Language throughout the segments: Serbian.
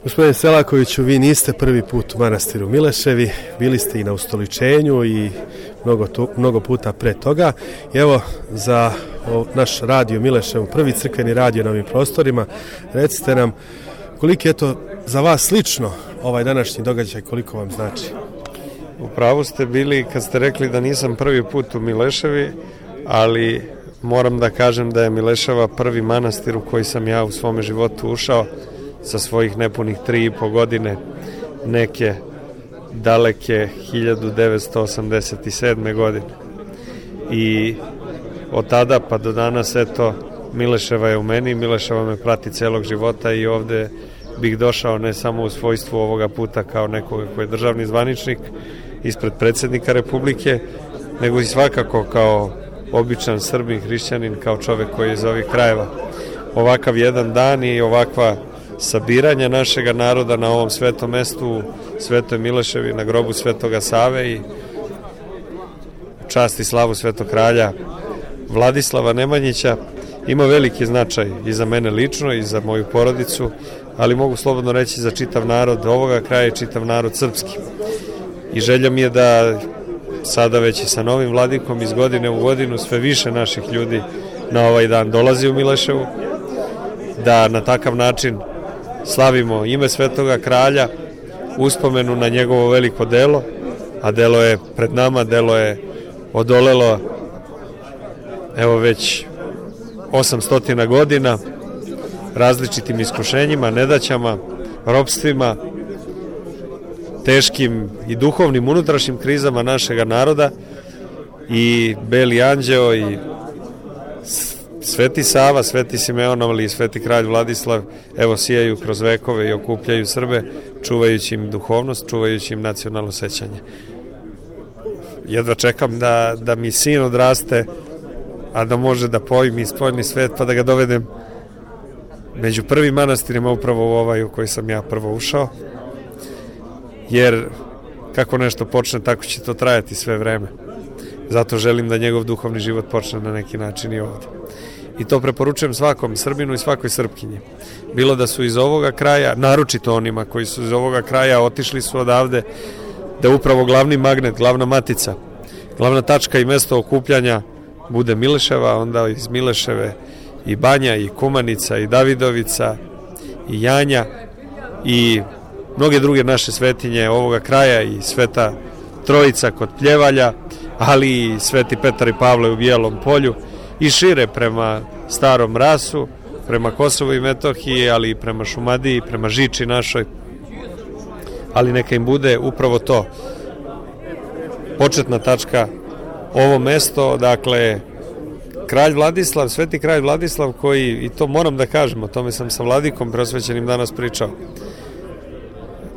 Gospodine Selakoviću, vi niste prvi put u manastiru Mileševi, bili ste i na ustoličenju i mnogo puta pre toga. I evo, za naš radio Milešev, prvi crkveni radio na ovim prostorima, recite nam koliko je to za vas lično ovaj današnji događaj, koliko vam znači? U pravu ste bili kad ste rekli da nisam prvi put u Mileševi, ali moram da kažem da je Mileševa prvi manastir u koji sam ja u svome životu ušao sa svojih nepunih 3,5 godine, neke daleke 1987. godine. I od tada pa do danas, eto, Mileševa je u meni, Mileševa me prati celog života i ovde bih došao ne samo u svojstvu ovoga puta kao nekoga koji je državni zvaničnik ispred predsjednika Republike, nego i svakako kao običan Srbin, hrišćanin, kao čovek koji je iz ovih krajeva. Ovakav jedan dan i ovakva sabiranja našega naroda na ovom svetom mestu u Svetoj Mileševi, na grobu Svetoga Save i čast i slavu Svetog kralja Vladislava Nemanjića ima veliki značaj i za mene lično i za moju porodicu, ali mogu slobodno reći za čitav narod ovoga kraja i čitav narod srpski. I želja mi je da sada već i sa novim vladikom iz godine u godinu sve više naših ljudi na ovaj dan dolazi u Mileševu, da na takav način slavimo ime Svetoga kralja, uspomenu na njegovo veliko delo, a delo je pred nama, delo je odolelo evo već 800 godina različitim iskušenjima, nedaćama, ropstvima, teškim i duhovnim unutrašnjim krizama našega naroda, i Beli anđeo i Sveti Sava, Sveti Simeon, ali i Sveti kralj Vladislav evo sijaju kroz vekove i okupljaju Srbe, čuvajući im duhovnost, čuvajući im nacionalno sećanje. Jedva čekam da mi sin odraste, a da može da pojmi spoljni svet, pa da ga dovedem među prvim manastirima, upravo u ovaj u koji sam ja prvo ušao, jer kako nešto počne, tako će to trajati sve vreme. Zato želim da njegov duhovni život počne na neki način i ovde. I to preporučujem svakom Srbinu i svakoj Srpkinji. Bilo da su iz ovoga kraja, naročito onima koji su iz ovoga kraja, otišli su odavde, da upravo glavni magnet, glavna matica, glavna tačka i mesto okupljanja bude Mileševa, onda iz Mileševe i Banja, i Kumanica, i Davidovica, i Janja, i mnoge druge naše svetinje ovoga kraja, i Sveta Trojica kod Pljevalja, ali i Sveti Petar i Pavle u Bijelom Polju, i šire prema Starom Rasu, prema Kosovu i Metohiji, ali i prema Šumadiji, prema Žiči našoj. Ali neka im bude upravo to početna tačka, ovo mesto, dakle, kralj Vladislav, Sveti kralj Vladislav, koji, i to moram da kažem, o tome sam sa vladikom preosvećenim danas pričao,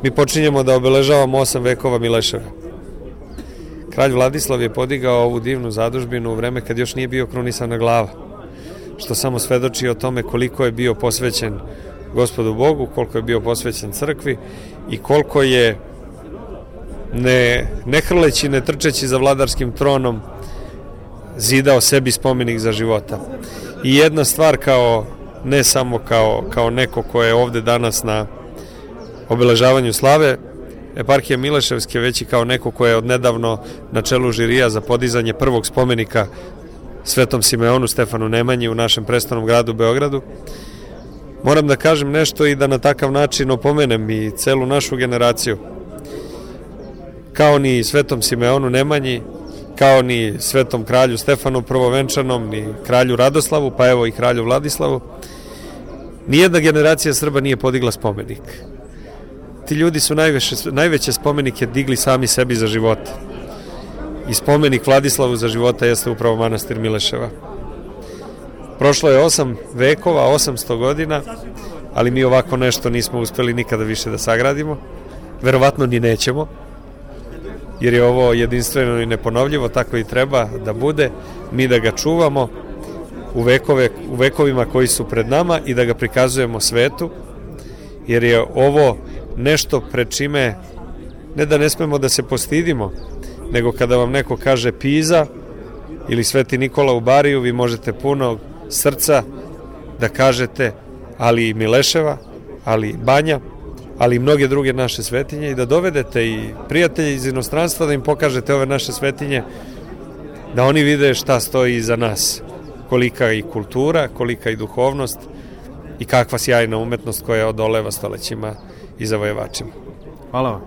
mi počinjemo da obeležavamo 8 vekova Mileševe. Kralj Vladislav je podigao ovu divnu zadužbinu u vreme kad još nije bio krunisana glava, što samo svedoči o tome koliko je bio posvećen Gospodu Bogu, koliko je bio posvećen crkvi i koliko je, ne hrleći, ne trčeći za vladarskim tronom, zidao sebi spomenik za života. I jedna stvar, ne samo kao neko ko je ovde danas na obeležavanju slave eparhije Mileševske, već i kao neko ko je odnedavno na čelu žirija za podizanje prvog spomenika Svetom Simeonu Stefanu Nemanji u našem prestolnom gradu Beogradu, moram da kažem nešto i da na takav način opomenem i celu našu generaciju. Kao ni Svetom Simeonu Nemanji, kao ni Svetom kralju Stefanu Prvovenčanom, ni kralju Radoslavu, pa evo i kralju Vladislavu, nijedna generacija Srba nije podigla spomenik. Ti ljudi su najveće spomenike digli sami sebi za života. I spomenik Vladislavu za života jeste upravo manastir Mileševa. Prošlo je 8 vekova, 800 godina, ali mi ovako nešto nismo uspeli nikada više da sagradimo. Verovatno ni nećemo, jer je ovo jedinstveno i neponovljivo, tako i treba da bude, mi da ga čuvamo u vekovima koji su pred nama i da ga prikazujemo svetu, jer je ovo nešto pred čime ne da ne smemo da se postidimo, nego kada vam neko kaže Piza ili Sveti Nikola u Bariju, vi možete puno srca da kažete ali i Mileševa, ali i Banja, ali i mnoge druge naše svetinje i da dovedete i prijatelje iz inostranstva da im pokažete ove naše svetinje, da oni vide šta stoji iza nas, kolika i kultura, kolika i duhovnost i kakva sjajna umetnost koja odoleva stolećima i zavojevačima. Hvala vam.